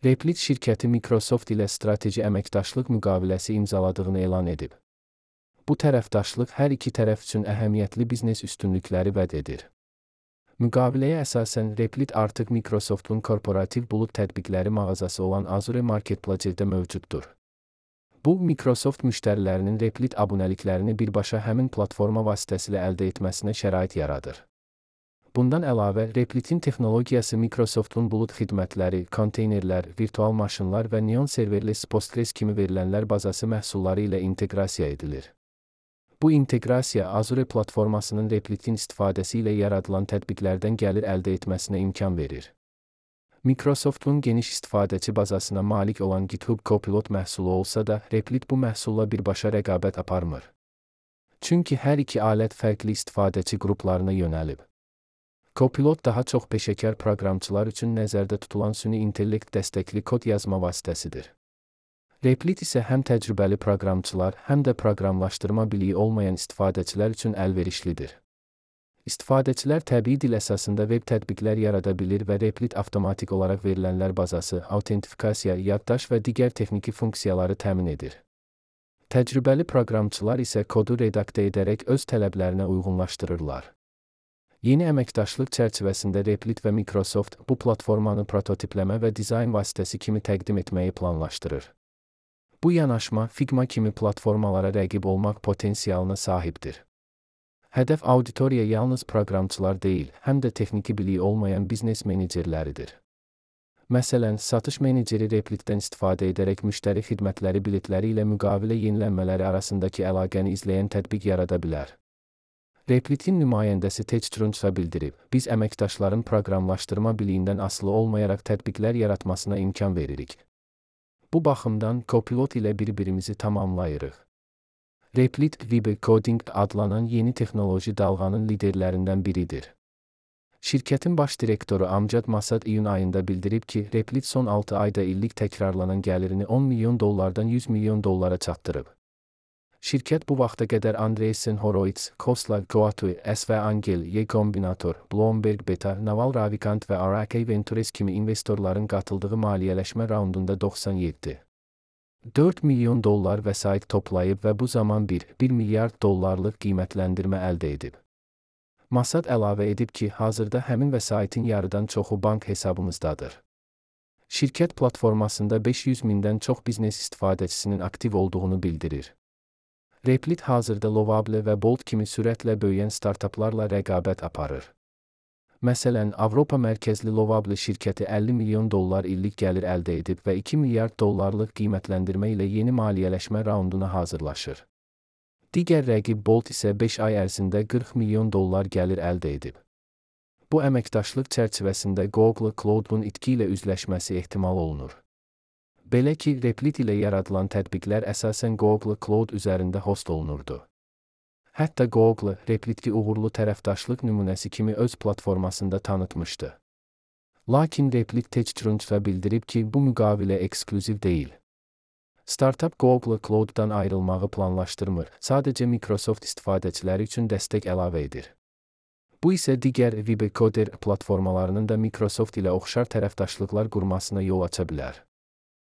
Replit şirkəti Microsoft ilə strateji əməkdaşlıq müqaviləsi imzaladığını elan edib. Bu tərəfdaşlıq hər iki tərəf üçün əhəmiyyətli biznes üstünlükləri vəd edir. Müqaviləyə əsasən Replit artıq Microsoftun korporativ bulud tətbiqləri mağazası olan Azure Marketplace-də mövcuddur. Bu, Microsoft müştərilərinin Replit abunəliklərini birbaşa həmin platforma vasitəsilə əldə etməsinə şərait yaradır. Bundan əlavə, Replitin texnologiyası Microsoftun bulud xidmətləri, konteynerlər, virtual maşınlar və Neon serverless Postgres kimi verilənlər bazası məhsulları ilə inteqrasiya edilir. Bu inteqrasiya Azure platformasının Replitin istifadəsi ilə yaradılan tətbiqlərdən gəlir əldə etməsinə imkan verir. Microsoftun geniş istifadəçi bazasına malik olan GitHub Copilot məhsulu olsa da, Replit bu məhsulla birbaşa rəqabət aparmır. Çünki hər iki alət fərqli istifadəçi qruplarına yönəlib. Copilot daha çox peşəkar proqramçılar üçün nəzərdə tutulan süni intellekt dəstəkli kod yazma vasitəsidir. Replit isə həm təcrübəli proqramçılar, həm də proqramlaşdırma biliyi olmayan istifadəçilər üçün əlverişlidir. İstifadəçilər təbii dil əsasında veb tətbiqlər yarada bilir və Replit avtomatik olaraq verilənlər bazası, autentifikasiya, yaddaş və digər texniki funksiyaları təmin edir. Təcrübəli proqramçılar isə kodu redaktə edərək öz tələblərinə uyğunlaşdırırlar. Yeni əməkdaşlıq çərçivəsində Replit və Microsoft bu platformanı prototipləmə və dizayn vasitəsi kimi təqdim etməyi planlaşdırır. Bu yanaşma Figma kimi platformalara rəqib olmaq potensialına sahibdir. Hədəf auditoriya yalnız proqramçılar deyil, həm də texniki biliyi olmayan biznes menecerləridir. Məsələn, satış meneceri Replitdən istifadə edərək müştəri xidmətləri biletləri ilə müqavilə yenilənmələri arasındakı əlaqəni izləyən tətbiq yarada bilər. Replitin nümayəndəsi Tej Trunçsa bildirib, biz əməkdaşların proqramlaşdırma biliyindən asılı olmayaraq tətbiqlər yaratmasına imkan veririk. Bu baxımdan Copilot ilə bir-birimizi tamamlayırıq. Replit, Vibe Coding adlanan yeni texnoloji dalğanın liderlərindən biridir. Şirkətin baş direktoru Amjad Masad iyun ayında bildirib ki, Replit son 6 ayda illik təkrarlanan gəlirini $10 milyon $100 milyon çatdırıb. Şirkət bu vaxta qədər Andreessen Horowitz, Khosla Goatui, SV Angel, Y Combinator, Bloomberg Beta, Naval Ravikant və RK Ventures kimi investorların qatıldığı maliyyələşmə raundunda $94 milyon vəsait toplayıb və bu zaman $1 milyard qiymətləndirmə əldə edib. Masad əlavə edib ki, hazırda həmin vəsaitin yarıdan çoxu bank hesabımızdadır. Şirkət platformasında 500 mindən çox biznes istifadəçisinin aktiv olduğunu bildirir. Replit hazırda Lovable və Bolt kimi sürətlə böyüyən startaplarla rəqabət aparır. Məsələn, Avropa mərkəzli Lovable şirkəti $50 milyon illik gəlir əldə edib və $2 milyard qiymətləndirmə ilə yeni maliyyələşmə raunduna hazırlaşır. Digər rəqib Bolt isə 5 ay ərzində $40 milyon gəlir əldə edib. Bu əməkdaşlıq çərçivəsində Google Cloud-un itki ilə üzləşməsi ehtimal olunur. Belə ki, Replit ilə yaradılan tətbiqlər əsasən Google Cloud üzərində host olunurdu. Hətta Google, Replitki uğurlu tərəfdaşlıq nümunəsi kimi öz platformasında tanıtmışdı. Lakin Replit Tej Trunçsa bildirib ki, bu müqavilə eksklüziv deyil. Startup Google Cloud-dan ayrılmağı planlaşdırmır, sadəcə Microsoft istifadəçiləri üçün dəstək əlavə edir. Bu isə digər Vibe Coder platformalarının da Microsoft ilə oxşar tərəfdaşlıqlar qurmasına yol aça bilər.